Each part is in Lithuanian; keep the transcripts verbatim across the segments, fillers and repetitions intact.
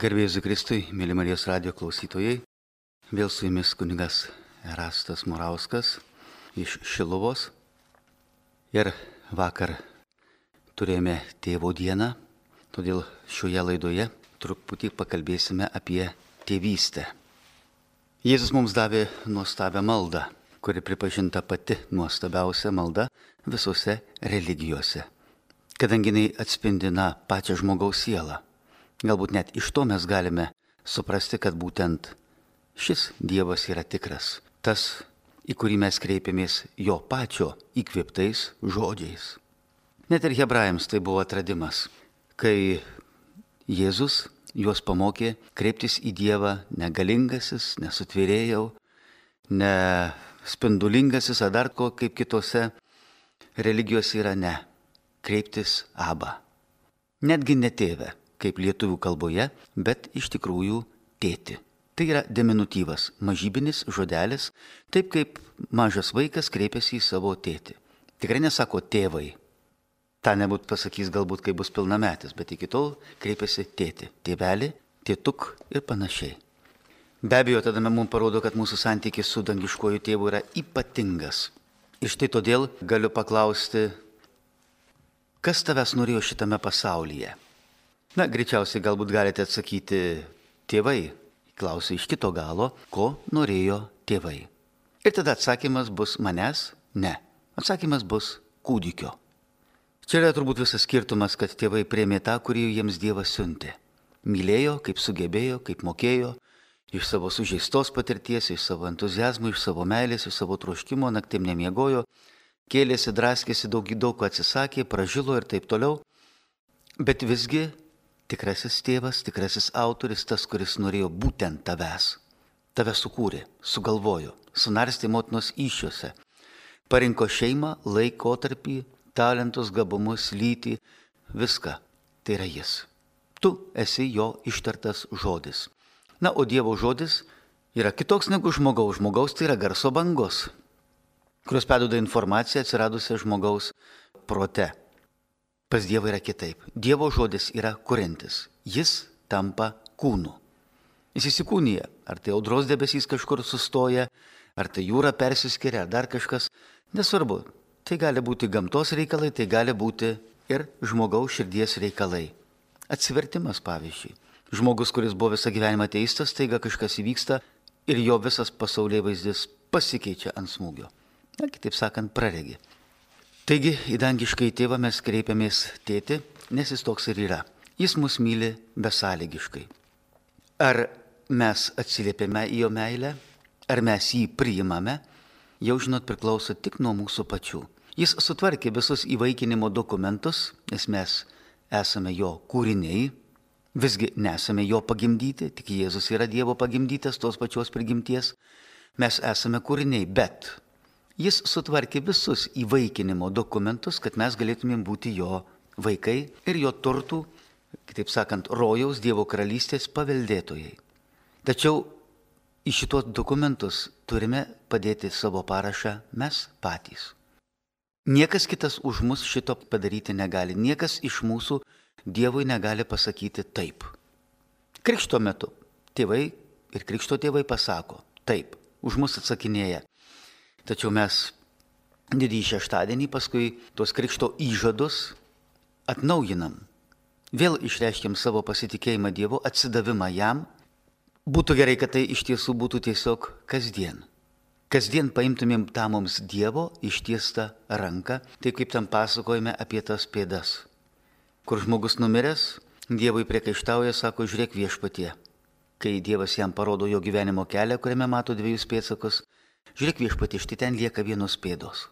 Garbė Jėzui Kristui, mėly Marijos radijo klausytojai, vėl su jumis kunigas Erastas Morauskas iš Šiluvos. Ir vakar turėjome tėvo dieną, todėl šioje laidoje truputį pakalbėsime apie tėvystę. Jėzus mums davė nuostabią maldą, kuri pripažinta pati nuostabiausia malda visose religijose, kadangi jinai atspindi na, pačią žmogaus sielą. Galbūt net iš to mes galime suprasti, kad būtent šis Dievas yra tikras, tas, į kurį mes kreipiamės jo pačio įkvėptais žodžiais. Net ir hebrajams tai buvo atradimas, kai Jėzus juos pamokė kreiptis į Dievą ne galingasis, ne sutvėrėjau, ne spindulingasis, ar dar ko kaip kitose religijose yra ne, kreiptis Abba. Netgi ne tėve, kaip lietuvių kalboje, bet iš tikrųjų tėti. Tai yra diminutyvas, mažybinis žodelis, taip kaip mažas vaikas kreipiasi į savo tėtį. Tikrai nesako tėvai. Ta nebūt pasakys galbūt, kai bus pilnametis, bet iki tol kreipiasi tėti, tėvelį, tėtuk ir panašiai. Be abejo, tada mums parodo, kad mūsų santykis su dangiškuoju tėvu yra ypatingas. Ir štai todėl galiu paklausti, kas tavęs norėjo šitame pasaulyje? Na, greičiausiai galbūt galite atsakyti tėvai. Klausiu iš kito galo, ko norėjo tėvai. Ir tada atsakymas bus manęs? Ne. Atsakymas bus kūdikio. Čia yra turbūt visas skirtumas, kad tėvai priėmė tą, kurį jiems Dievas siuntė. Mylėjo, kaip sugebėjo, kaip mokėjo, iš savo sužeistos patirties, iš savo entuziazmo, iš savo meilės, iš savo troškimo, naktim nemiegojo, kėlėsi, draskėsi, daug daug ko atsisakė, pražilo ir taip toliau. Bet visgi tikrasis tėvas, tikrasis autoris, tas, kuris norėjo būtent tavęs. Tave sukūrė, sugalvojo, sunarstė motinos įsčiose. Parinko šeimą, laikotarpį, talentus, gabumus, lytį, viską. Tai yra jis. Tu esi jo ištartas žodis. Na, o Dievo žodis yra kitoks negu žmogaus. Žmogaus tai yra garso bangos, kurios perduoda informaciją atsiradusią žmogaus prote. Pas Dievą yra kitaip. Dievo žodis yra kuriantis. Jis tampa kūnu. Jis įsikūnija. Ar tai audros debesys kažkur sustoja, ar tai jūra persiskiria, ar dar kažkas. Nesvarbu. Tai gali būti gamtos reikalai, tai gali būti ir žmogaus širdies reikalai. Atsivertimas, pavyzdžiui. Žmogus, kuris buvo visą gyvenimą ateistas, taiga kažkas įvyksta ir jo visas pasaulėvaizdis pasikeičia ant smūgio. Na, kitaip sakant, praregi. Taigi, į dangiškai tėvą mes kreipiamės tėti, nes jis toks ir yra. Jis mus myli besąlygiškai. Ar mes atsiliepiame į jo meilę, ar mes jį priimame, jau žinot priklauso tik nuo mūsų pačių. Jis sutvarkė visus įvaikinimo dokumentus, nes mes esame jo kūriniai, visgi nesame jo pagimdyti, tik Jėzus yra Dievo pagimdytas, tos pačios prigimties. Mes esame kūriniai, bet jis sutvarkė visus įvaikinimo dokumentus, kad mes galėtumėm būti jo vaikai ir jo turtų, kitaip sakant, rojaus Dievo karalystės paveldėtojai. Tačiau į šitos dokumentus turime padėti savo parašą mes patys. Niekas kitas už mus šito padaryti negali. Niekas iš mūsų Dievui negali pasakyti taip. Krikšto metu tėvai ir krikšto tėvai pasako taip, už mus atsakinėja. Tačiau mes didįjį šeštadienį paskui tos krikšto įžadus atnaujinam. Vėl išreiškiam savo pasitikėjimą Dievu, atsidavimą jam. Būtų gerai, kad tai iš tiesų būtų tiesiog kasdien. Kasdien paimtumėm tą mums Dievo ištiestą ranką, taip kaip tam pasakojame apie tas pėdas. Kur žmogus numiręs, Dievui priekaištauja, sako, žiūrėk viešpatie. Kai Dievas jam parodo jo gyvenimo kelią, kuriame mato dviejus pėdsakus, žiūrėk viešpatie, štai ten lieka vienos pėdos.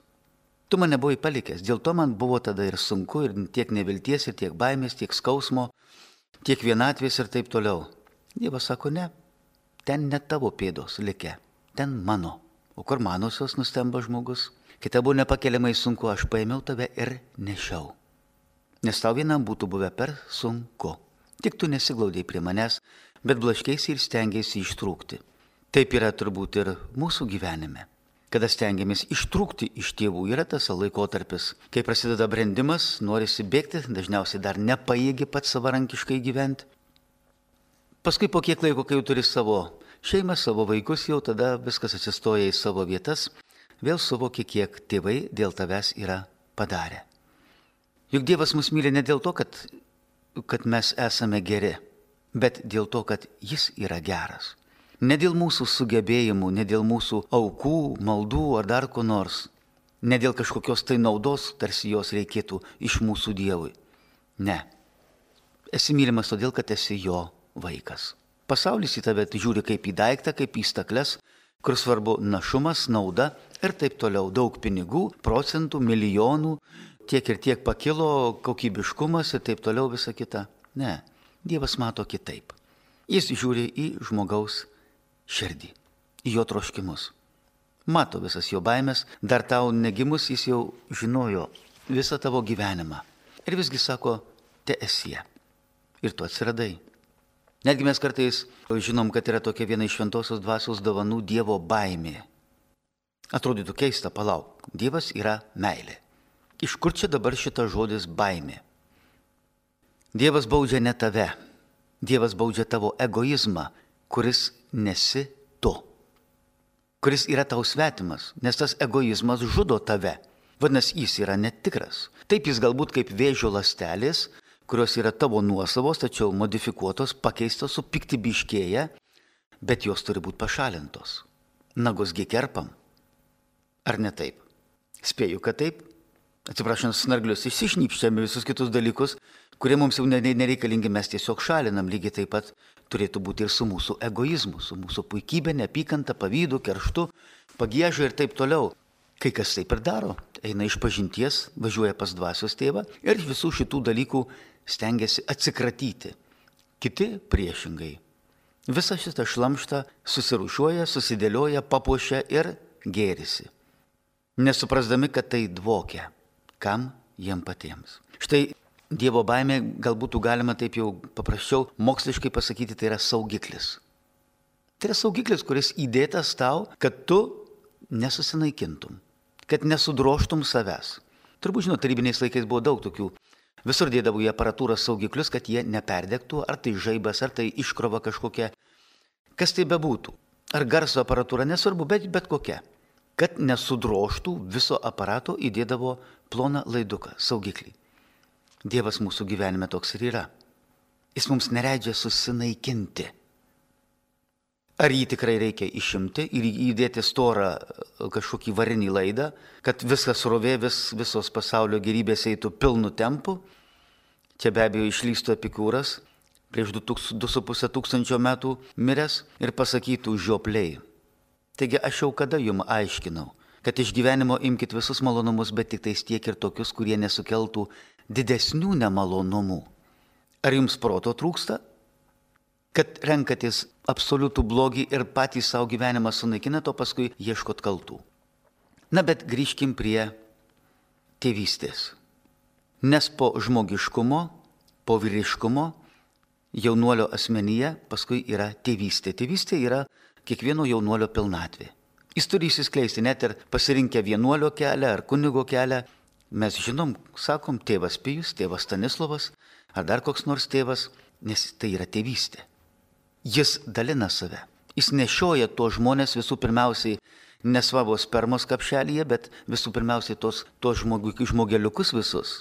Tu mane buvai palikęs, dėl to man buvo tada ir sunku, ir tiek nevilties, ir tiek baimės, tiek skausmo, tiek vienatvės ir taip toliau. Dievas sako, ne, ten ne tavo pėdos likę, ten mano. O kur manosios, nustemba žmogus? Kita buvo nepakeliamai sunku, aš paėmiau tave ir nešiau. Nes tau vienam būtų buvę per sunku. Tik tu nesiglaudėjai prie manęs, bet blaškėsi ir stengiasi ištrūkti. Taip yra turbūt ir mūsų gyvenime. Kada stengiamės ištrūkti iš tėvų, yra tas laikotarpis, kai prasideda brendimas, norisi bėgti, dažniausiai dar nepajėgi pats savarankiškai gyventi. Paskui po kiek laiko, kai jau turi savo šeimą, savo vaikus, jau tada viskas atsistoja į savo vietas, vėl suvoki, kiek tėvai dėl tavęs yra padarę. Juk Dievas mus myli ne dėl to, kad, kad mes esame geri, bet dėl to, kad Jis yra geras. Ne dėl mūsų sugebėjimų, ne dėl mūsų aukų, maldų ar dar ko nors, ne dėl kažkokios tai naudos, tarsi jos reikėtų iš mūsų Dievui. Ne. Esi mylimas todėl, kad esi jo vaikas. Pasaulis į tave žiūri kaip į daiktą, kaip į stakles, kur svarbu našumas, nauda ir taip toliau. Daug pinigų, procentų, milijonų, tiek ir tiek pakilo, kokybiškumas ir taip toliau visa kita. Ne, Dievas mato kitaip. Jis žiūri į žmogaus širdį, į jo troškimus. Mato visas jo baimės, dar tau negimus jis jau žinojo visą tavo gyvenimą. Ir visgi sako, te esie. Ir tu atsiradai. Netgi mes kartais žinom, kad yra tokia viena iš šventosios dvasios dovanų Dievo baimė. Atrodytų keista, palauk, Dievas yra meilė. Iš kur čia dabar šitas žodis baimė? Dievas baudžia ne tave. Dievas baudžia tavo egoizmą, kuris nesi tu. Kuris yra tau svetimas, nes tas egoizmas žudo tave. Vadinasi, jis yra netikras. Taip jis galbūt kaip vėžio ląstelės, kurios yra tavo nuosavos, tačiau modifikuotos, pakeistos, supiktybiškėja, bet jos turi būti pašalintos. Nagus gi kerpam. Ar ne taip? Spėju, kad taip. Atsiprašant, snarglius išsišnypščiame visus kitus dalykus, kurie mums jau nereikalingi, mes tiesiog šalinam. Lygiai taip pat turėtų būti ir su mūsų egoizmu, su mūsų puikybė, neapykanta, pavydu, kerštu, pagieža ir taip toliau. Kai kas taip ir daro, eina iš pažinties, važiuoja pas dvasios tėvą ir visų šitų dalykų stengiasi atsikratyti. Kiti priešingai. Visą šitą šlamštą susirūšiuoja, susidėlioja, papuošia ir gėrisi. Nesuprasdami, kad tai dvokia. Kam jiem patiems. Štai Dievo baimė, galbūt galima taip jau paprasčiau moksliškai pasakyti, tai yra saugiklis. Tai yra saugiklis, kuris įdėtas tau, kad tu nesusinaikintum, kad nesudroštum savęs. Turbūt žinot, tarybiniais laikais buvo daug tokių. Visur dėdavo į aparatūrą saugiklius, kad jie neperdegtų, ar tai žaibas, ar tai iškrova kažkokia. Kas tai bebūtų. Ar garso aparatūra, nesvarbu, bet, bet kokia. Kad nesudroštų viso aparato, įdėdavo ploną laiduką, saugiklį. Dievas mūsų gyvenime toks ir yra. Jis mums neleidžia susinaikinti. Ar jį tikrai reikia išimti ir įdėti storą kažkokį varinį laidą, kad viskas srovė, vis, visos pasaulio gerybės eitų pilnu tempu? Čia be abejo išlystų Epikūras, prieš du su puse tūkstančio metų miręs ir pasakytų žiopliai. Taigi aš jau kada jums aiškinau, kad iš gyvenimo imkite visus malonumus, bet tik tais tiek ir tokius, kurie nesukeltų didesnių nemalonumų. Ar jums proto trūksta? Kad renkatės absoliutų blogį ir patys savo gyvenimą sunaikinat, o paskui ieškot kaltų. Na, bet grįžkim prie tėvystės. Nes po žmogiškumo, po vyriškumo, jaunuolio asmenyje paskui yra tėvystė. Tėvystė yra kiekvieno jaunuolio pilnatvė. Jis turi įsiskleisti net ir pasirinkę vienuolio kelią ar kunigo kelią. Mes žinom, sakom, tėvas Pijus, tėvas Stanislovas, ar dar koks nors tėvas, nes tai yra tėvystė. Jis dalina save. Jis nešioja tuos žmonės visų pirmiausiai ne savo spermos kapšelyje, bet visų pirmiausiai tos, tos žmogu, žmogeliukus visus,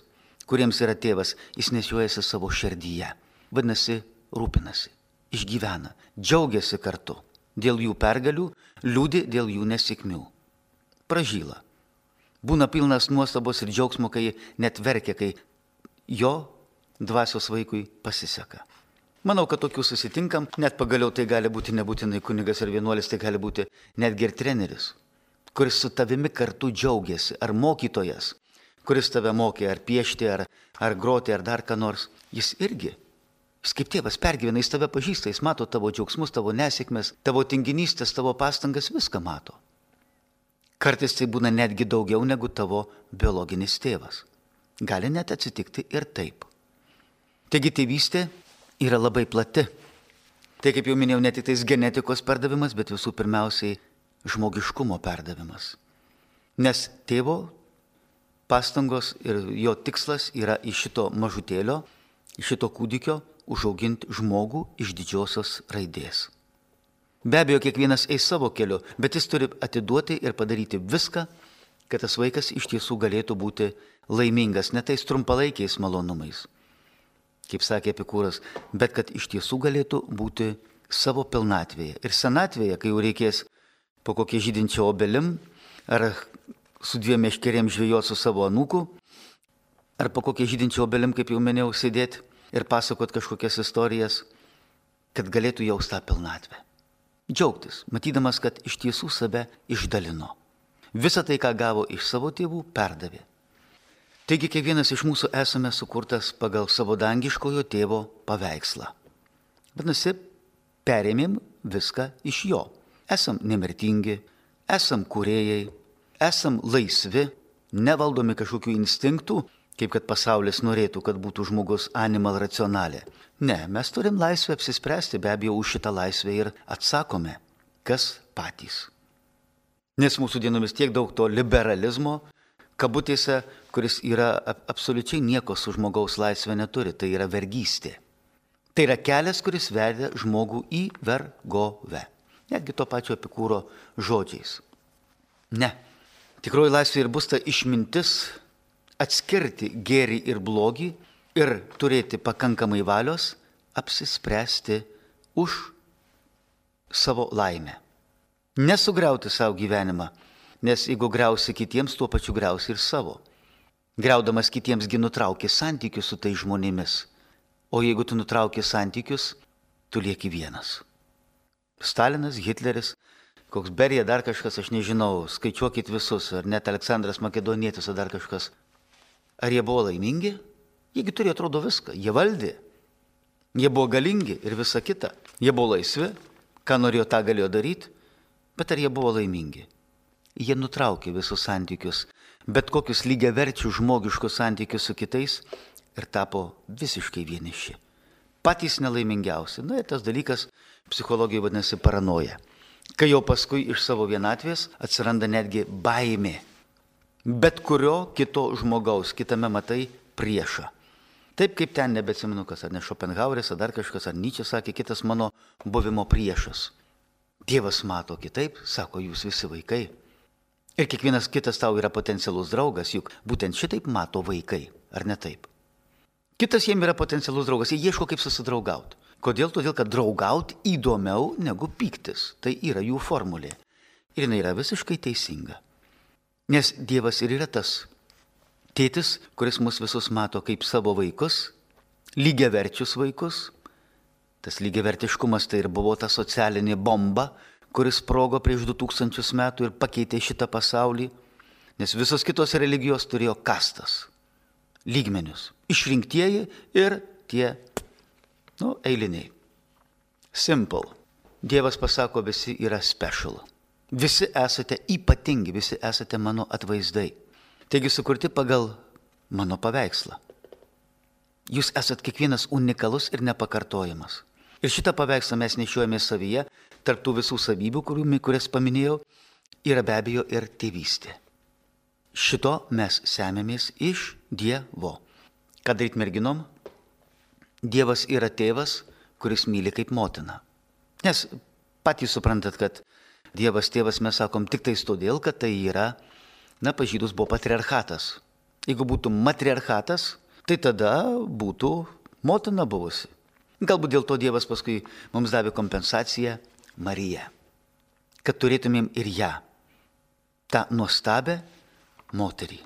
kuriems yra tėvas, jis nešiojasi savo širdyje. Vadinasi, rūpinasi, išgyvena, džiaugiasi kartu. Dėl jų pergalių, liūdi dėl jų nesėkmių. Pražyla. Būna pilnas nuostabos ir džiaugsmo, kai net verkia, kai jo dvasios vaikui pasiseka. Manau, kad tokių susitinkam, net pagaliau tai gali būti nebūtinai kunigas ar vienuolis, tai gali būti netgi ir treneris, kuris su tavimi kartu džiaugiasi, ar mokytojas, kuris tave mokė ar piešti, ar, ar groti, ar dar ką nors. Jis irgi, jis kaip tėvas pergyvena, jis tave pažįsta, jis mato tavo džiaugsmus, tavo nesėkmes, tavo tinginystės, tavo pastangas, viską mato. Kartais tai būna netgi daugiau negu tavo biologinis tėvas. Gali net atsitikti ir taip. Taigi tėvystė yra labai plati. Tai, kaip jau minėjau, ne tik tais genetikos perdavimas, bet visų pirmiausiai žmogiškumo perdavimas. Nes tėvo pastangos ir jo tikslas yra iš šito mažutėlio, iš šito kūdikio užauginti žmogų iš didžiosios raidės. Be abejo, kiekvienas eis savo keliu, bet jis turi atiduoti ir padaryti viską, kad tas vaikas iš tiesų galėtų būti laimingas, ne tais trumpalaikiais malonumais, kaip sakė Epikūras, bet kad iš tiesų galėtų būti savo pilnatvėje. Ir senatvėje, kai jau reikės po kokie žydinčio obelim, ar su dviem meškerėm žvejoti su savo anūku, ar po kokie žydinčio obelim, kaip jau minėjau, sėdėti ir pasakot kažkokias istorijas, kad galėtų jaust tą pilnatvę. Džiaugtis, matydamas, kad iš tiesų save išdalino. Visą tai, ką gavo iš savo tėvų, perdavė. Taigi kiekvienas iš mūsų esame sukurtas pagal savo dangiškojo tėvo paveikslą. Vadinasi, perėmėm viską iš jo. Esam nemirtingi, esam kūrėjai, esam laisvi, nevaldomi kažkokių instinktų, kaip kad pasaulis norėtų, kad būtų žmogus animal racionalė. Ne, mes turim laisvę apsispręsti, be abejo, už šitą laisvę ir atsakome, kas patys. Nes mūsų dienomis tiek daug to liberalizmo, kabutėse, kuris yra absoliučiai nieko su žmogaus laisvė neturi, tai yra vergystė. Tai yra kelias, kuris vedė žmogų į vergovę. Netgi to pačio Epikūro žodžiais. Ne, tikroji laisvė ir bus ta išmintis atskirti gėrį ir blogį ir turėti pakankamai valios apsispręsti už savo laimę. Nesugriauti savo gyvenimą, nes jeigu griausi kitiems, tuo pačiu griausi ir savo. Griaudamas kitiems gi nutrauki santykius su tai žmonėmis, o jeigu tu nutrauki santykius, tu lieki vienas. Stalinas, Hitleris, koks Berija, dar kažkas, aš nežinau, skaičiuokit visus, ar net Aleksandras Makedonietis, ar dar kažkas. Ar jie buvo laimingi? Jiegi turėjo, atrodo, viską. Jie valdė. Jie buvo galingi ir visa kita. Jie buvo laisvi, ką norėjo, tą galėjo daryti, bet ar jie buvo laimingi? Jie nutraukė visus santykius, bet kokius lygiaverčius žmogiškus santykius su kitais ir tapo visiškai vieniši. Patys nelaimingiausi. Na ir tas dalykas psichologijai vadinasi paranoja. Kai jau paskui iš savo vienatvės atsiranda netgi baimė. Bet kurio kito žmogaus, kitame matai priešą. Taip kaip ten nebeatsimenu, kas ar ne Šopenhaueris, ar dar kažkas, ar Nyčė sakė, kitas mano buvimo priešas. Dievas mato kitaip, sako, jūs visi vaikai. Ir kiekvienas kitas tau yra potencialus draugas, juk būtent šitaip mato vaikai, ar ne taip? Kitas jiem yra potencialus draugas, jie ieško kaip susidraugauti. Kodėl? Todėl, kad draugauti įdomiau negu pyktis. Tai yra jų formulė. Ir jinai yra visiškai teisinga. Nes Dievas ir yra tas tėtis, kuris mus visus mato kaip savo vaikus, lygiaverčius vaikus. Tas lygiavertiškumas tai ir buvo ta socialinė bomba, kuris sprogo prieš du tūkstančius metų ir pakeitė šitą pasaulį. Nes visos kitos religijos turėjo kastas, lygmenius, išrinktieji ir tie, nu, eiliniai. Simple. Dievas pasako, visi yra special. Visi esate ypatingi, visi esate mano atvaizdai. Taigi sukurti pagal mano paveikslą. Jūs esat kiekvienas unikalus ir nepakartojamas. Ir šitą paveikslą mes nešiojame savyje, tarp tų visų savybių, kurias paminėjau, yra be abejo ir tėvystė. Šito mes semėmės iš Dievo. Ką daryti merginom? Dievas yra tėvas, kuris myli kaip motina. Nes patys suprantat, kad Dievas tėvas mes sakom tik tais todėl, kad tai yra, na, pas žydus buvo patriarchatas. Jeigu būtų matriarchatas, tai tada būtų motina buvusi. Galbūt dėl to Dievas paskui mums davė kompensaciją Mariją, kad turėtumėm ir ją, tą nuostabę moterį,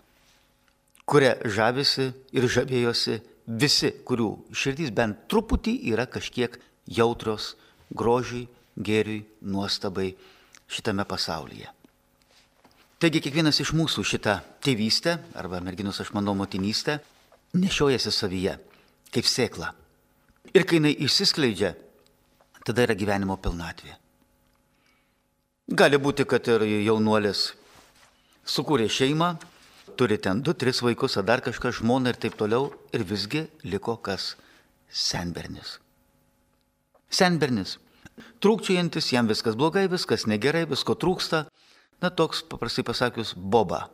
kuria žavisi ir žavėjosi visi, kurių širdys bent truputį yra kažkiek jautrios grožiui, gėriui, nuostabai šitame pasaulyje. Taigi kiekvienas iš mūsų šitą tėvystę, arba merginos aš manau motinystę, nešiojasi savyje kaip sėkla. Ir kai jinai išsiskleidžia, tada yra gyvenimo pilnatvė. Gali būti, kad ir jaunuolis sukūrė šeimą, turi ten du, tris vaikus, ar dar kažką, žmoną ir taip toliau, ir visgi liko kas? Senbernis. Senbernis. Trūkčiojantis, jam viskas blogai, viskas negerai, visko trūksta. Na, toks, paprastai pasakius, boba.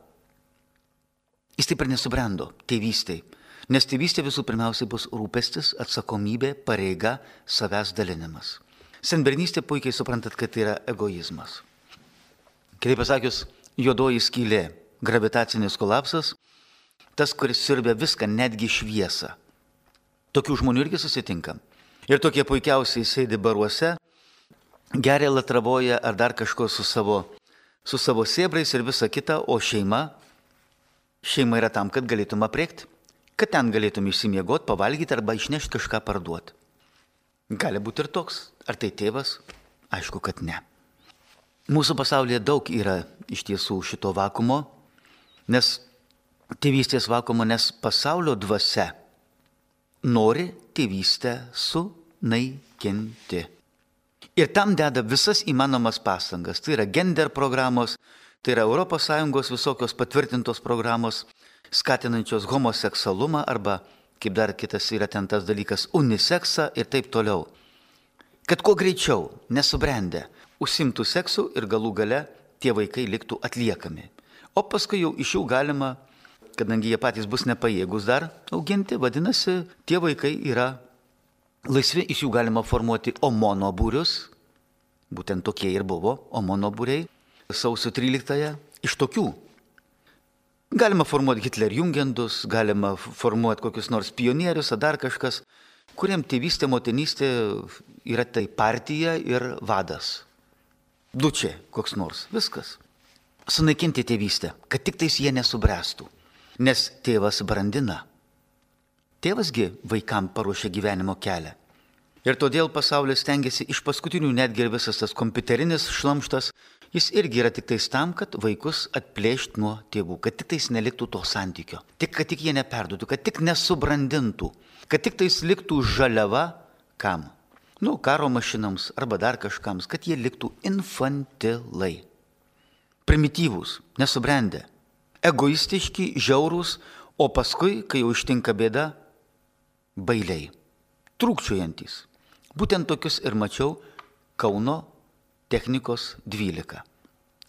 Jis taip ir nesubrendo tėvystėj. Nes tėvystė visų pirmiausiai bus rūpestis, atsakomybė, pareiga, savęs dalinimas. Senbernystė puikiai suprantat, kad tai yra egoizmas. Kitaip pasakius, juodoji skylė, gravitacinis kolapsas, tas, kuris siurbia viską, netgi šviesą. Tokių žmonių irgi susitinkam. Ir tokie puikiausiai sėdi baruose, geria latravoja ar dar kažko su savo, su savo sėbrais ir visa kita, o šeima, šeima yra tam, kad galėtum apriekti, kad ten galėtum išsimiegoti, pavalgyti arba išnešti kažką parduoti. Gali būti ir toks. Ar tai tėvas? Aišku, kad ne. Mūsų pasaulyje daug yra iš tiesų šito vakumo, nes tėvystės vakumo, nes pasaulio dvasia nori tėvystę sunaikinti. Ir tam deda visas įmanomas pastangas. Tai yra gender programos, tai yra Europos Sąjungos visokios patvirtintos programos, skatinančios homoseksualumą arba, kaip dar kitas yra ten tas dalykas, uniseksą ir taip toliau. Kad kuo greičiau, nesubrendę, užsimtų seksu ir galų gale tie vaikai liktų atliekami. O paskui jau iš jų galima, kadangi jie patys bus nepajėgus dar auginti, vadinasi, tie vaikai yra laisvi, iš jų galima formuoti omonobūrius, būtent tokie ir buvo omonobūriai, sausio tryliktąją, iš tokių. Galima formuoti Hitlerjungendus, galima formuoti kokius nors pionierius ar dar kažkas, kuriam tėvystė, motinystė yra tai partija ir vadas. Dučė koks nors, viskas. Sunaikinti tėvystę, kad tik tais jie nesubręstų, nes tėvas brandina. Tėvasgi vaikam paruošia gyvenimo kelią. Ir todėl pasaulis stengiasi iš paskutinių, netgi ir visas tas kompiuterinis šlamštas, jis irgi yra tik tais tam, kad vaikus atplėšt nuo tėvų, kad tik tais neliktų to santykio, tik kad tik jie neperduotų, kad tik nesubrandintų, kad tik tais liktų žaliava kam? Nu, karo mašinams arba dar kažkams, kad jie liktų infantilai, primityvūs, nesubrendę, egoistiški, žiaurūs, o paskui, kai jau ištinka bėda, bailiai, trūkčiojantys. Būtent tokius ir mačiau Kauno technikos dvylika.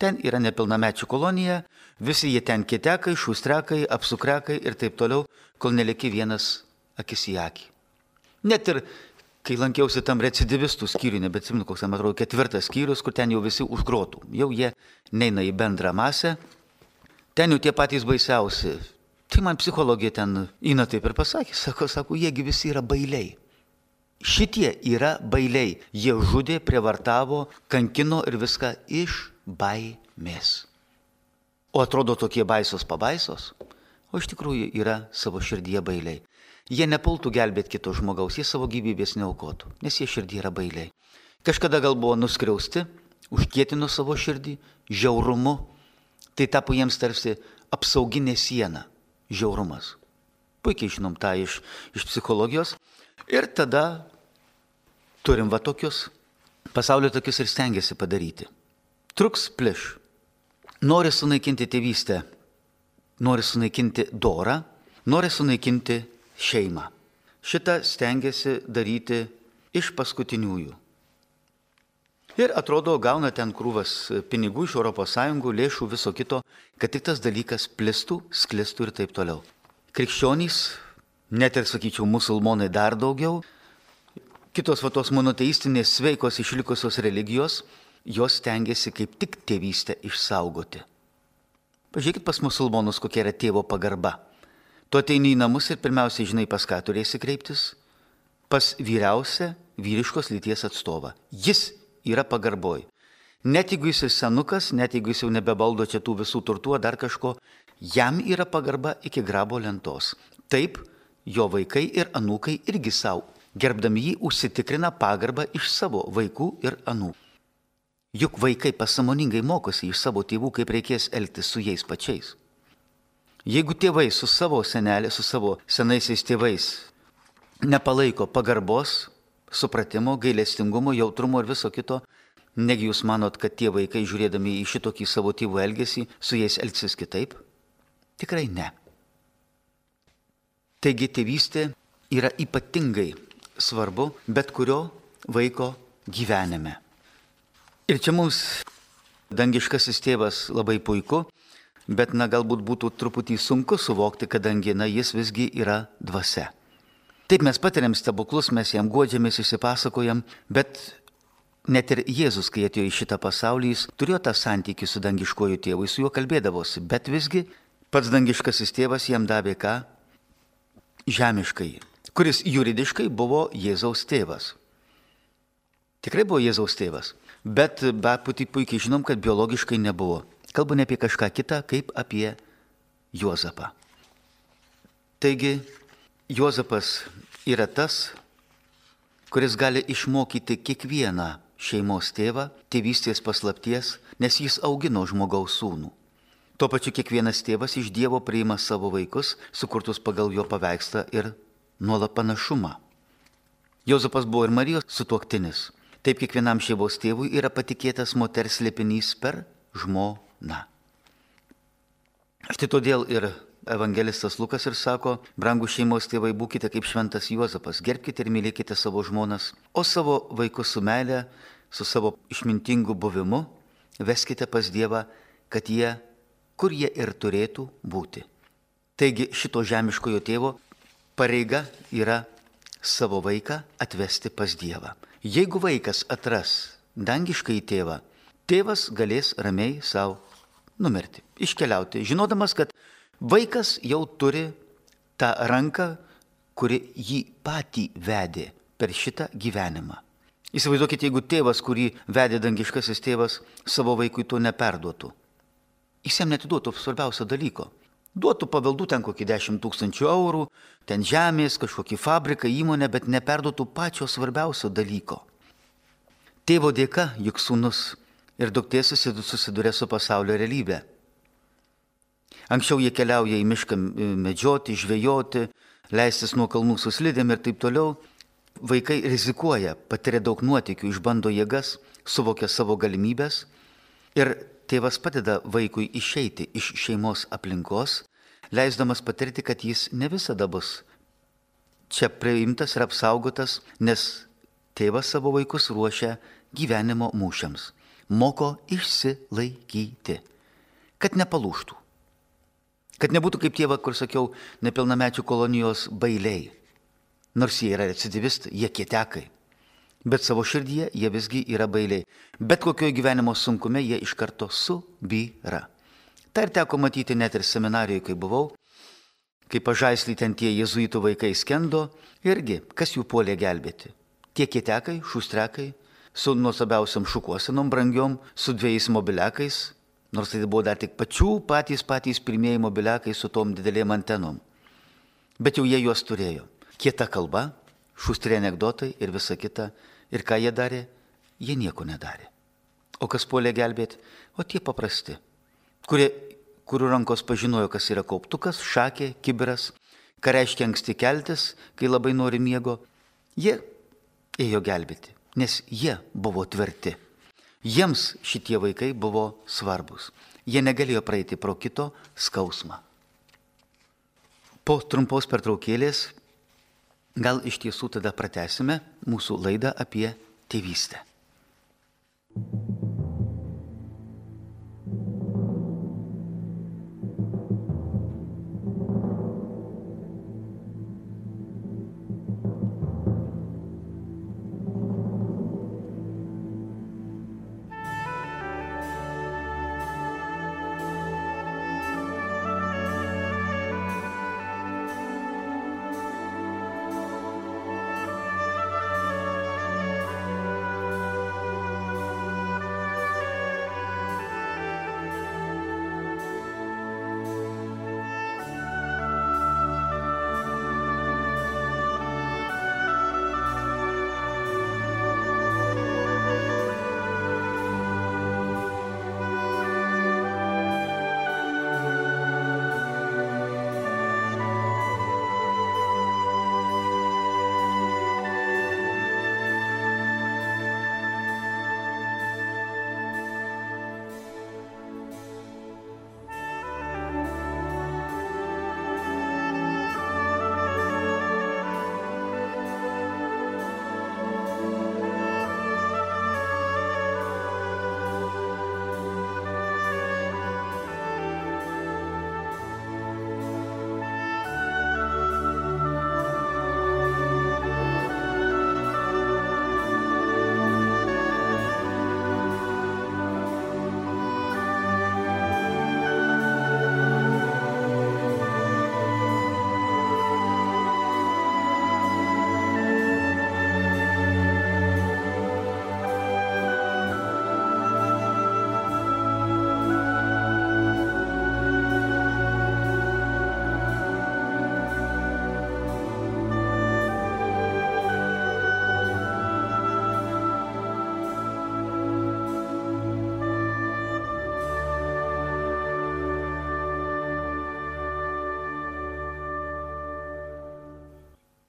Ten yra nepilnamečių kolonija, visi jie ten kitekai, šustrekai, apsukrekai ir taip toliau, kol neliki vienas akis į akį. Net ir kai lankiausi tam recidivistų skyriui, nebeatsimenu, koks ten atrodo ketvirtas skyrius, kur ten jau visi užgrotų. Jau jie neina į bendrą masę, ten jau tie patys baisiausi. Tai man psichologija ten Ina taip ir pasakė, sako, sako, jiegi visi yra bailiai. Šitie yra bailiai. Jie žudė, prievartavo, kankino ir viską iš baimės. O atrodo tokie baisos pabaisos, o iš tikrųjų yra savo širdyje bailiai. Jie nepultų gelbėti kito žmogaus, jie savo gyvybės neaukotų, nes jie širdyje yra bailiai. Kažkada gal buvo nuskriausti, užkietino savo širdį, žiaurumu, tai tapo jiems tarsi apsauginė siena, žiaurumas. Puikiai žinom tą iš, iš psichologijos. Ir tada turim va tokius, pasaulio tokius ir stengiasi padaryti. Truks pliš. Nori sunaikinti tėvystę, nori sunaikinti dorą, nori sunaikinti šeimą. Šitą stengiasi daryti iš paskutiniųjų. Ir atrodo, gauna ten krūvas pinigų iš Europos Sąjungų, lėšų, viso kito, kad tik tas dalykas plistų, sklistų ir taip toliau. Krikščionys, net ir, sakyčiau, musulmonai dar daugiau, kitos va tos monoteistinės sveikos išlikusios religijos, jos stengiasi kaip tik tėvystę išsaugoti. Pažiūrėkit pas musulmonus, kokia yra tėvo pagarba. Tu ateini į namus ir pirmiausiai žinai, pas ką turėsi kreiptis? Pas vyriausią vyriškos lyties atstovą. Jis yra pagarboj. Net jeigu jis senukas, net jeigu jis jau nebevaldo čia tų visų turtų ar dar kažko, jam yra pagarba iki grabo lentos. Taip, jo vaikai ir anūkai irgi savo, gerbdami jį, užsitikrina pagarbą iš savo vaikų ir anūkų. Juk vaikai pasąmoningai mokosi iš savo tėvų, kaip reikės elgtis su jais pačiais. Jeigu tėvai su savo senelė, su savo senaisiais tėvais nepalaiko pagarbos, supratimo, gailestingumo, jautrumo ir viso kito, negi jūs manot, kad tie vaikai, žiūrėdami į šitokį savo tėvų elgesį, su jais elgsis kitaip? Tikrai ne. Taigi tėvystė yra ypatingai svarbu bet kurio vaiko gyvenime. Ir čia mums dangiškasis tėvas labai puiku bet na galbūt būtų truputį sunku suvokti, kadangi na jis visgi yra dvasia. Taip mes patiriam stebuklus, mes jam guodžiamės, išsipasakojam, bet net ir Jėzus, kai atėjo į šitą pasaulį, jis turėjo tą santykį su dangiškuoju tėvu, su juo kalbėdavosi, bet visgi pats dangiškasis tėvas jam davė ką? Žemiškai, kuris juridiškai buvo Jėzaus tėvas. Tikrai buvo Jėzaus tėvas, bet be pati puikiai žinom, kad biologiškai nebuvo. Kalbu ne apie kažką kitą, kaip apie Juozapą. Taigi, Juozapas yra tas, kuris gali išmokyti kiekvieną šeimos tėvą tėvystės paslapties, nes jis augino žmogaus sūnų. Tuo pačiu kiekvienas tėvas iš Dievo priima savo vaikus, sukurtus pagal jo paveikslą ir nuolat panašumą. Juozapas buvo ir Marijos sutuoktinis. Taip kiekvienam šeimos tėvui yra patikėtas moters slėpinys per žmoną. Štai todėl ir evangelistas Lukas ir sako, brangūs šeimos tėvai, būkite kaip šventas Juozapas, gerbkite ir mylėkite savo žmonas, o savo vaikus su meile, su savo išmintingu buvimu, veskite pas Dievą, kad jie, kur jie ir turėtų būti. Taigi šito žemiškojo tėvo pareiga yra savo vaiką atvesti pas Dievą. Jeigu vaikas atras dangiškai tėvą, tėvas galės ramiai savo numirti, iškeliauti, žinodamas, kad vaikas jau turi tą ranką, kuri jį patį vedė per šitą gyvenimą. Įsivaizduokite, jeigu tėvas, kurį vedė dangiškasis tėvas, savo vaikui to neperduotų. Jis jam netiduotų svarbiausio dalyko. Duotų paveldų ten kokį dešimt tūkstančių eurų, ten žemės, kažkokį fabriką, įmonę, bet neperduotų pačio svarbiausio dalyko. Tėvo dėka juk sūnus ir duktė susiduria su pasaulio realybė. Anksčiau jie keliauja į mišką medžioti, žvejoti, leistis nuo kalnų su slidėm ir taip toliau. Vaikai rizikuoja, patiria daug nuotykių, išbando jėgas, suvokia savo galimybės ir tėvas padeda vaikui išeiti iš šeimos aplinkos, leisdamas patirti, kad jis ne visada bus čia priimtas ir apsaugotas, nes tėvas savo vaikus ruošia gyvenimo mūšiams, moko išsilaikyti, kad nepalūžtų. Kad nebūtų kaip tėva, kur sakiau, nepilnamečių kolonijos bailiai. Nors jie yra recidivistai, jie kietekai. Bet savo širdyje jie visgi yra bailiai. Bet kokioje gyvenimo sunkume jie iš karto subyra. Tai ir teko matyti net ir seminarijoje, kai buvau, kai pažaislį ten tie jėzuitų vaikai skendo, irgi, kas jų puolė gelbėti. Tie kietekai, šustrekai, su nuostabiausiam šukuosenom brangiom, su dviejais mobiliakais, nors tai buvo dar tik pačių patys patys pirmieji mobiliakai su tom didelėm antenom. Bet jau jie juos turėjo. Kieta kalba, šustri anekdotai ir visa kita. Ir ką jie darė? Jie nieko nedarė. O kas puolė gelbėti? O tie paprasti, kurie, kurių rankos pažinojo, kas yra kauptukas, šakė, kibiras, ką reiškia anksti keltis, kai labai nori miego. Jie ėjo gelbėti, nes jie buvo tvirti. Jiems šitie vaikai buvo svarbus. Jie negalėjo praeiti pro kito skausmą. Po trumpos pertraukėlės gal iš tiesų tada pratęsime mūsų laidą apie tėvystę.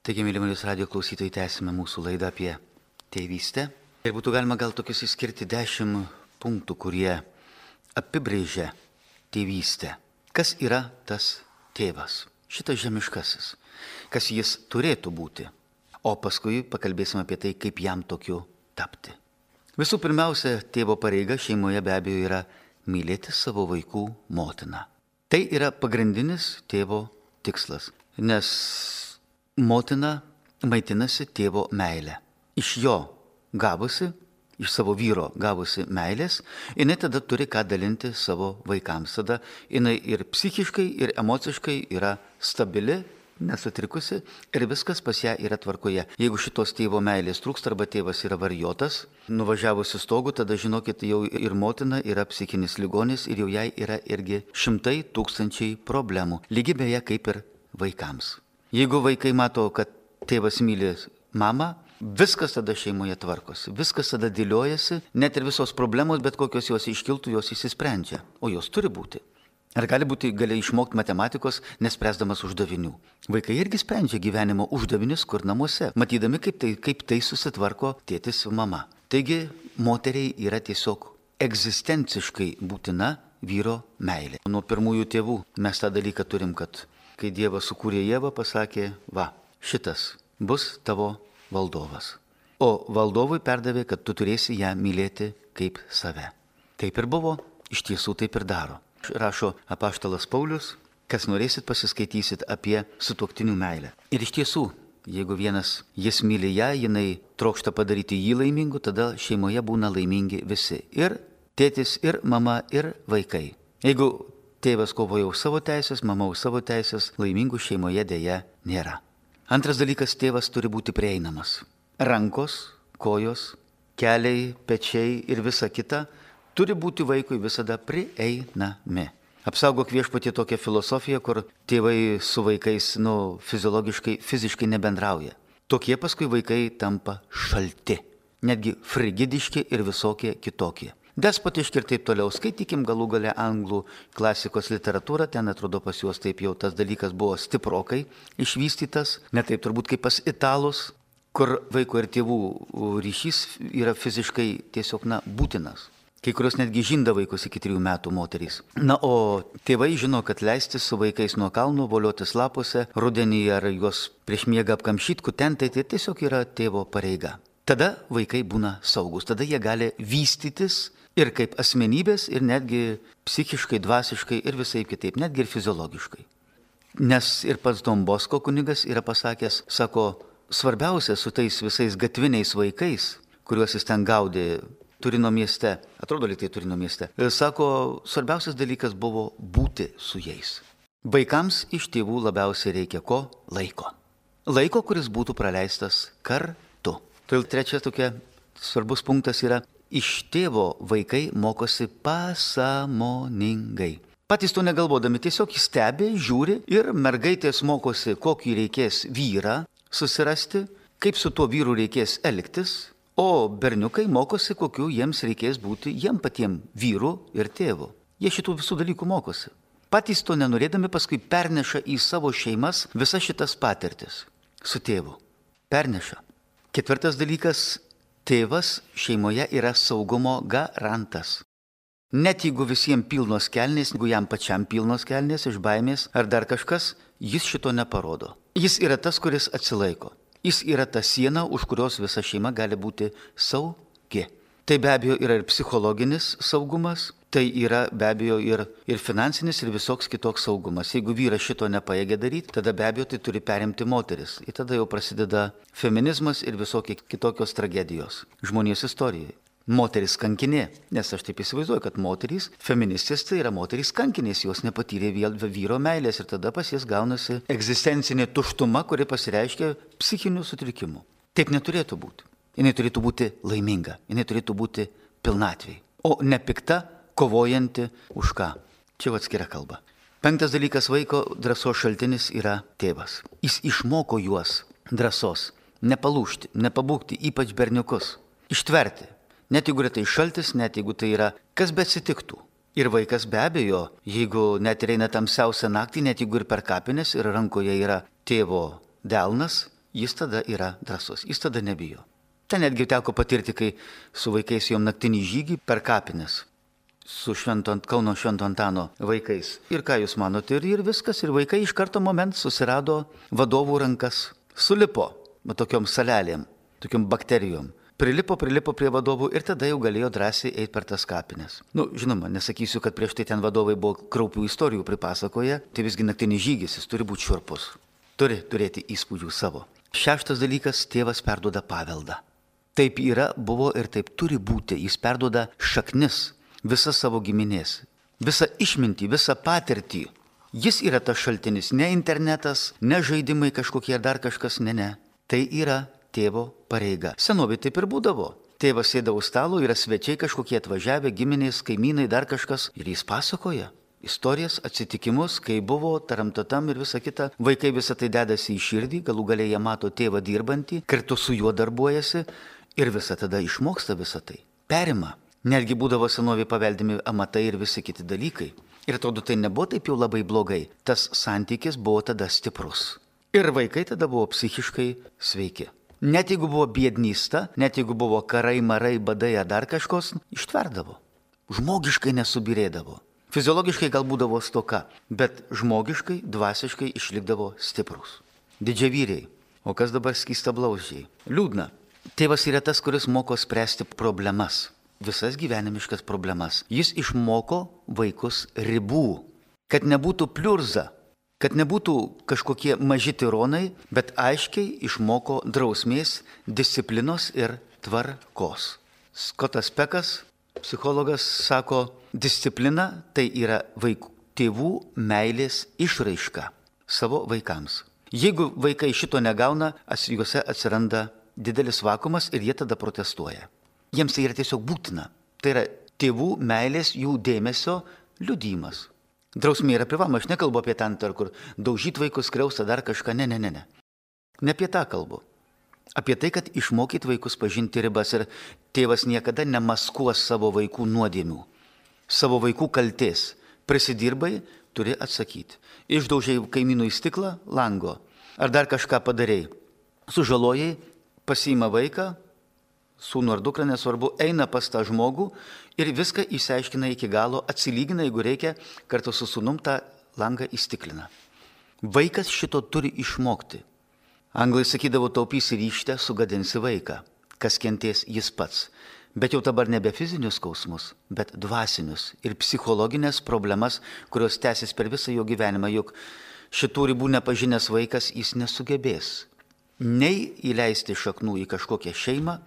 Taigi, mėly Marijos radijo klausytojai, tęsime mūsų laidą apie tėvystę. Ir būtų galima gal tokius išskirti dešimt punktų, kurie apibrėžia tėvystę. Kas yra tas tėvas? Šitas žemiškasis. Kas jis turėtų būti? O paskui pakalbėsime apie tai, kaip jam tokiu tapti. Visų pirmiausia, tėvo pareiga šeimoje be abejo yra mylėti savo vaikų motiną. Tai yra pagrindinis tėvo tikslas, nes motina maitinasi tėvo meilę. Iš jo gavusi, iš savo vyro gavusi meilės, jinai tada turi ką dalinti savo vaikams. Tada jinai ir psichiškai, ir emociškai yra stabili, nesutrikusi ir viskas pas ją yra tvarkoje. Jeigu šitos tėvo meilės trūksta arba tėvas yra varijotas, nuvažiavusi stogu, tada žinokit, jau ir motina yra psichinis ligonis ir jau jai yra irgi šimtai tūkstančiai problemų. Lygiai beje kaip ir vaikams. Jeigu vaikai mato, kad tėvas myli mamą, viskas tada šeimoje tvarkosi, viskas tada dėliojasi, net ir visos problemos, bet kokios jos iškiltų, jos išsisprendžia, o jos turi būti. Ar gali būti, gali išmokti matematikos, nespręsdamas uždavinių. Vaikai irgi sprendžia gyvenimo uždavinius kur namuose, matydami, kaip tai, kaip tai susitvarko tėtis su mama. Taigi, moteriai yra tiesiog egzistenciškai būtina vyro meilė. Nuo pirmųjų tėvų mes tą dalyką turim, kad kai Dievas sukūrė Ievą, pasakė, va, šitas bus tavo valdovas. O valdovui perdavė, kad tu turėsi ją mylėti kaip save. Taip ir buvo, iš tiesų taip ir daro. Rašo apaštalas Paulius, kas norėsit pasiskaitysit apie sutuoktinių meilę. Ir iš tiesų, jeigu vienas jis myli ją, jinai trokšta padaryti jį laimingu, tada šeimoje būna laimingi visi. Ir tėtis, ir mama, ir vaikai. Jeigu tėvas kovoja už savo teisės, mama už savo teisės, laimingų šeimoje dėja nėra. Antras dalykas, tėvas turi būti prieinamas. Rankos, kojos, keliai, pečiai ir visa kita turi būti vaikui visada prieinami. Apsaugok viešpatie tokią filosofiją, kur tėvai su vaikais, nu, fiziologiškai, fiziškai nebendrauja. Tokie paskui vaikai tampa šalti, netgi frigidiški ir visokie kitokie. Despotiški ir taip toliau. Skaitykim galų gale anglų klasikos literatūrą, ten atrodo pas juos taip jau tas dalykas buvo stiprokai išvystytas, ne taip turbūt kaip pas italus, kur vaiko ir tėvų ryšys yra fiziškai tiesiog, na, būtinas. Kai kurios netgi žinda vaikus iki trijų metų moterys. Na, o tėvai žino, kad leistis su vaikais nuo kalnų, voliotis lapuose, rudenį ar juos prieš miegą apkamšyti, kutentai, tai tiesiog yra tėvo pareiga. Tada vaikai būna saugus, tada jie gali vystytis ir kaip asmenybės, ir netgi psichiškai, dvasiškai ir visai kitaip, netgi ir fiziologiškai. Nes ir pats Don Bosko kunigas yra pasakęs, sako, svarbiausia su tais visais gatviniais vaikais, kuriuos jis ten gaudė Turino mieste, atrodo lyg tai Turino mieste, sako, svarbiausias dalykas buvo būti su jais. Vaikams iš tėvų labiausiai reikia ko? Laiko. Laiko, kuris būtų praleistas kartu. Todėl trečias tokia svarbus punktas yra, iš tėvo vaikai mokosi pasąmoningai. Patys to negalvodami, tiesiog stebi, žiūri ir mergaitės mokosi, kokį reikės vyrą susirasti, kaip su tuo vyru reikės elgtis. O berniukai mokosi, kokiu jiems reikės būti jiem patiem vyru ir tėvu. Jie šitų visų dalykų mokosi. Patys to nenorėdami paskui perneša į savo šeimas visas šitas patirtis su tėvu. Perneša. Ketvirtas dalykas, tėvas šeimoje yra saugumo garantas. Net jeigu visiems pilnos kelnės, jeigu jam pačiam pilnos kelnės iš baimės ar dar kažkas, jis šito neparodo. Jis yra tas, kuris atsilaiko. Jis yra ta siena, už kurios visa šeima gali būti saugi. Tai be abejo yra ir psichologinis saugumas, tai yra be abejo ir, ir finansinis ir visoks kitoks saugumas. Jeigu vyras šito nepajėgia daryti, tada be abejo tai turi perimti moteris. Ir tada jau prasideda feminizmas ir visokie kitokios tragedijos žmonijos istorijoje. Moteris kankinė, nes aš taip įsivaizduoju, kad moterys, feministės tai yra moterys kankinės, jos nepatyrė vyro meilės ir tada pas jas gaunasi egzistencinė tuštuma, kuri pasireiškia psichinių sutrikimų. Taip neturėtų būti. Jinai turėtų būti laiminga, jinai turėtų būti pilnatvėj, o ne pikta, kovojanti už ką. Čia atskira kalba. Penktas dalykas, vaiko drąsos šaltinis yra tėvas. Jis išmoko juos drąsos, nepalūžti, nepabūgti, ypač berniukus, ištverti. Net jeigu yra tai šaltis, net jeigu tai yra, kas beatsitiktų. Ir vaikas be abejo, jeigu net ir eina tamsiausią naktį, net jeigu ir per kapines ir rankoje yra tėvo delnas, jis tada yra drąsus, jis tada nebijo. Ten netgi teko patirti, kai su vaikais jom naktinį žygį per kapines. Su švento, Kauno Švento Antano vaikais. Ir ką jūs manote, ir, ir viskas, ir vaikai iš karto moment susirado vadovų rankas. Sulipo, va tokiom salelėm, tokiom bakterijom. Prilipo, prilipo prie vadovų ir tada jau galėjo drąsiai eiti per tas kapines. Nu, žinoma, nesakysiu, kad prieš tai ten vadovai buvo kraupių istorijų pripasakoję, tai visgi naktinis žygis, jis turi būti šiurpus. Turi turėti įspūdžių savo. Šeštas dalykas, tėvas perduoda paveldą. Taip yra, buvo ir taip turi būti. Jis perduoda šaknis, visą savo giminės, visą išmintį, visą patirtį. Jis yra tas šaltinis, ne internetas, ne žaidimai kažkokie ar dar kažkas, ne, ne. Tai yra tėvo pareiga. Senovė taip ir būdavo. Tėvas sėdavo stalo, yra svečiai kažkokie atvažiavę, giminės, kaimynai, dar kažkas. Ir jis pasakoja istorijas, atsitikimus, kai buvo, taramtatam ir visa kita. Vaikai visą tai dedasi į širdį, galų galiai jie mato tėvą dirbantį, kartu su juo darbuojasi ir visą tada išmoksta visą tai. Perima. Netgi būdavo senovė paveldimi amatai ir visi kiti dalykai. Ir atrodo, tai nebuvo taip jau labai blogai. Tas santykis buvo tada stiprus. Ir vaikai tada buvo psichiškai sveiki. Net jeigu buvo biednysta, net jeigu buvo karai, marai, badai ar dar kažkos, ištverdavo. Žmogiškai nesubirėdavo. Fiziologiškai gal būdavo stoka, bet žmogiškai, dvasiškai išlikdavo stiprus. Didžiavyriai. O kas dabar skystablauzdžiai? Liūdna. Tėvas yra tas, kuris moko spręsti problemas. Visas gyvenimiškas problemas. Jis išmoko vaikus ribų. Kad nebūtų pliurza. Kad nebūtų kažkokie maži tironai, bet aiškiai išmoko drausmės, disciplinos ir tvarkos. Skotas Pekas, psichologas, sako, disciplina tai yra vaikų, tėvų meilės išraiška savo vaikams. Jeigu vaikai šito negauna, juose atsiranda didelis vakumas ir jie tada protestuoja. Jiems tai yra tiesiog būtina. Tai yra tėvų meilės, jų dėmesio liudijimas. Drausmė yra privaloma, aš nekalbu apie ten, kur daužyt vaikus, skriausta dar kažką, ne, ne, ne, ne. Ne apie tą kalbu. Apie tai, kad išmokyti vaikus pažinti ribas ir tėvas niekada nemaskuos savo vaikų nuodėmių, savo vaikų kaltės. Prisidirbai, turi atsakyti. Išdaužiai kaimynų į stiklą, lango, ar dar kažką padarei. Sužalojai, pasiima vaiką, sūnų ar dukrą, nesvarbu, eina pas tą žmogų ir viską išsiaiškina iki galo, atsilygina, jeigu reikia, kartu su sūnum tą langą įstiklina. Vaikas šito turi išmokti. Anglai sakydavo, taupysi ryžtę, sugadinsi vaiką. Kas kentės, jis pats. Bet jau dabar nebe fizinius skausmus, bet dvasinius ir psichologinės problemas, kurios tęsis per visą jo gyvenimą, juk šitų ribų nepažinęs vaikas jis nesugebės. Nei įleisti šaknų į kažkokią šeimą,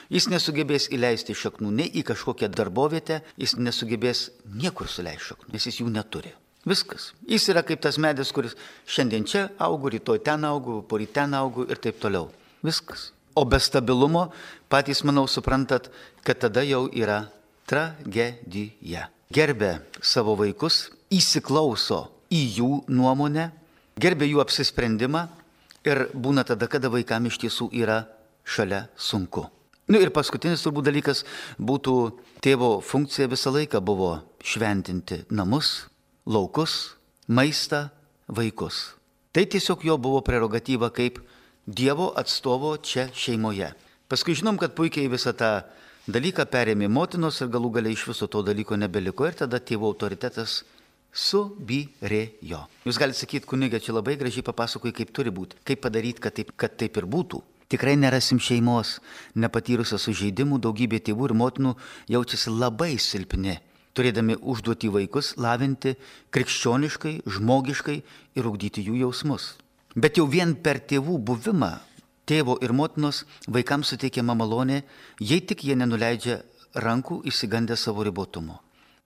jis nesugebės įleisti šaknų nei į kažkokią darbovietę, jis nesugebės niekur suleisti šaknų, nes jis jų neturi. Viskas. Jis yra kaip tas medis, kuris šiandien čia augu, rytoj ten augu, poryt ten augu ir taip toliau. Viskas. O be stabilumo patys, manau, suprantat, kad tada jau yra tragedija. Gerbia savo vaikus, įsiklauso į jų nuomonę, gerbia jų apsisprendimą. Ir būna tada, kada vaikam iš tiesų yra šalia sunku. Nu ir paskutinis turbūt dalykas būtų tėvo funkcija visą laiką buvo šventinti namus, laukus, maistą, vaikus. Tai tiesiog jo buvo prerogatyva kaip Dievo atstovo čia šeimoje. Paskui žinom, kad puikiai visą tą dalyką perėmė motinos ir galų galiai iš viso to dalyko nebeliko ir tada tėvo autoritetas subyrėjo. Jūs galite sakyti, kunigė, čia labai gražiai papasakoji, kaip turi būti, kaip padaryti, kad taip, kad taip ir būtų. Tikrai nerasim šeimos, nepatyrusios sužeidimų, daugybė tėvų ir motinų jaučiasi labai silpni, turėdami užduoti vaikus lavinti krikščioniškai, žmogiškai ir ugdyti jų jausmus. Bet jau vien per tėvų buvimą, tėvo ir motinos vaikams suteikiama malonė, jei tik jie nenuleidžia rankų išsigandę savo ribotumo.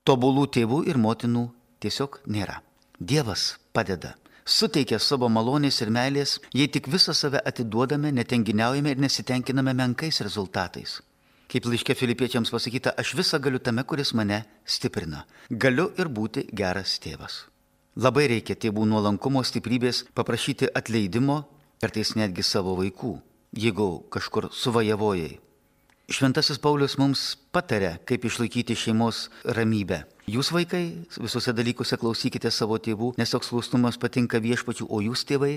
Tobulų tėvų ir motinų tiesiog nėra. Dievas padeda, suteikia savo malonės ir meilės, jei tik visą save atiduodame, netenginiaujame ir nesitenkiname menkais rezultatais. Kaip laiške Filipiečiams pasakyta, aš visą galiu tame, kuris mane stiprina. Galiu ir būti geras tėvas. Labai reikia tėvų nuolankumo, stiprybės, paprašyti atleidimo, kartais netgi savo vaikų, jeigu kažkur suvajavojai. Šventasis Paulius mums pataria, kaip išlaikyti šeimos ramybę. Jūs, vaikai, visuose dalykuose klausykite savo tėvų, nes toks klusnumas patinka Viešpačiui, o jūs, tėvai,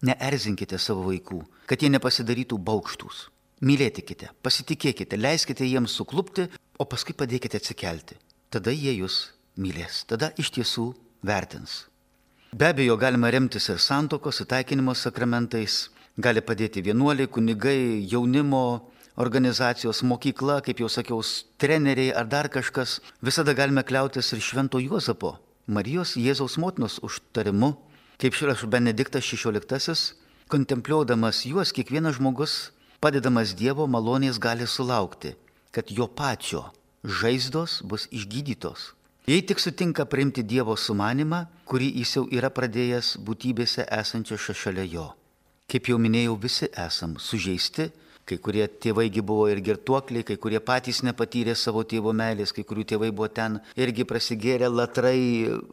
neerzinkite savo vaikų, kad jie nepasidarytų baukštus. Mylėkite, pasitikėkite, leiskite jiems suklupti, o paskui padėkite atsikelti. Tada jie jūs mylės, tada iš tiesų vertins. Be abejo, galima remtis ir santuokos, įtaikinimo sakramentais, gali padėti vienuoliai, kunigai, jaunimo organizacijos, mokykla, kaip jau sakiau, treneriai ar dar kažkas. Visada galime kliautis ir Švento Juozapo, Marijos Jėzaus motinos užtarimu. Kaip šrašo Benediktas šešioliktasis, kontempliuodamas juos, kiekvienas žmogus, padedamas Dievo malonės, gali sulaukti, kad jo pačio žaizdos bus išgydytos. Jei tik sutinka priimti Dievo sumanimą, kurį jis jau yra pradėjęs būtybėse esančiose šalia jo. Kaip jau minėjau, visi esam sužeisti, kai kurie tėvaigi buvo ir girtuokliai, kai kurie patys nepatyrė savo tėvo meilės, kai kurių tėvai buvo ten irgi prasigėrę latrai,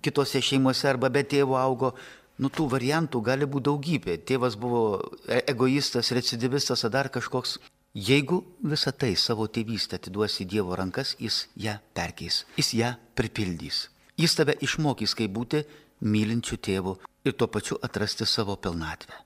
kitose šeimose arba be tėvo augo. Nu, tų variantų gali būti daugybė. Tėvas buvo egoistas, recidivistas ar dar kažkoks. Jeigu visą tai savo tėvystę atiduosi į Dievo rankas, jis ją perkeis, jis ją pripildys. Jis tave išmokys, kaip būti mylinčiu tėvu ir tuo pačiu atrasti savo pilnatvę.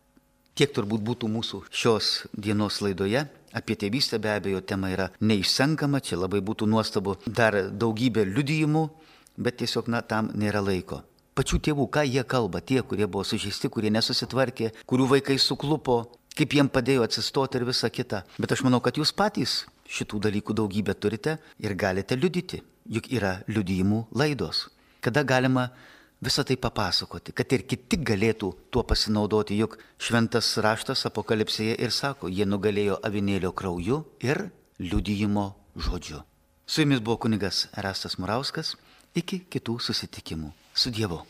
Tiek turbūt būtų mūsų šios dienos laidoje. Apie tėvystę be abejo tema yra neišsenkama, čia labai būtų nuostabu dar daugybė liudijimų, bet tiesiog na, tam nėra laiko. Pačių tėvų, ką jie kalba, tie, kurie buvo sužeisti, kurie nesusitvarkė, kurių vaikai suklupo, kaip jiem padėjo atsistoti ir visa kita. Bet aš manau, kad jūs patys šitų dalykų daugybę turite ir galite liudyti, juk yra liudijimų laidos, kada galima visą tai papasakoti, kad ir kiti galėtų tuo pasinaudoti, juk šventas raštas Apokalipsėje ir sako, jie nugalėjo avinėlio krauju ir liudijimo žodžiu. Su jumis buvo kunigas Erastas Murauskas, iki kitų susitikimų. Su Dievu.